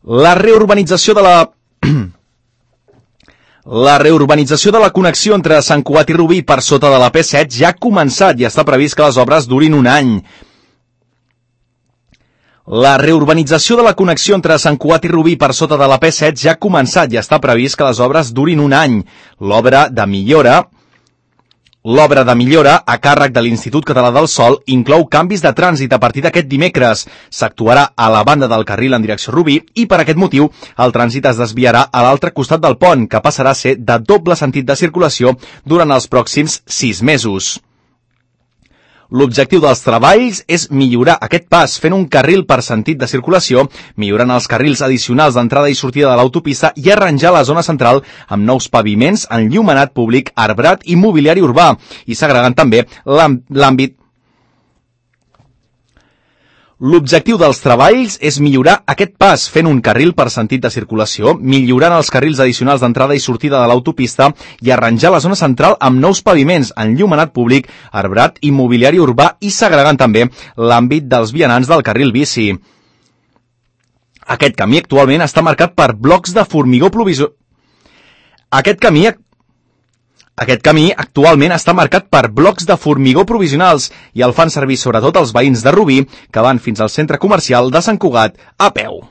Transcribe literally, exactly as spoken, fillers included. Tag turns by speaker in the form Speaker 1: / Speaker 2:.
Speaker 1: La reurbanització de la... La reurbanització de la connexió entre Sant Cugat i Rubí per sota de la P set ja ha començat i està previst que les obres durin un any. La reurbanització de la connexió entre Sant Cugat i Rubí per sota de la P set ja ha començat i està previst que les obres durin un any. L'obra de millora... L'obra de millora, a càrrec de l'Institut Català del Sòl, inclou canvis de trànsit a partir d'aquest dimecres. S'actuarà a la banda del carril en direcció Rubí i, per aquest motiu, el trànsit es desviarà a l'altre costat del pont, que passarà a ser de doble sentit de circulació durant els pròxims sis mesos. L'objectiu dels treballs és millorar aquest pas fent un carril per sentit de circulació, millorant els carrils addicionals d'entrada i sortida de l'autopista i arranjar la zona central amb nous paviments, enllumenat públic, arbrat i mobiliari urbà, i segregant també l'àmbit. L'objectiu dels treballs és millorar aquest pas fent un carril per sentit de circulació, millorant els carrils addicionals d'entrada i sortida de l'autopista i arranjar la zona central amb nous paviments, enllumenat públic, arbrat i mobiliari urbà i segregant també l'àmbit dels vianants del carril bici. Aquest camí actualment està marcat per blocs de formigó provisor. Aquest camí Aquest camí actualment està marcat per blocs de formigó provisionals i el fan servir sobretot els veïns de Rubí que van fins al centre comercial de Sant Cugat a peu.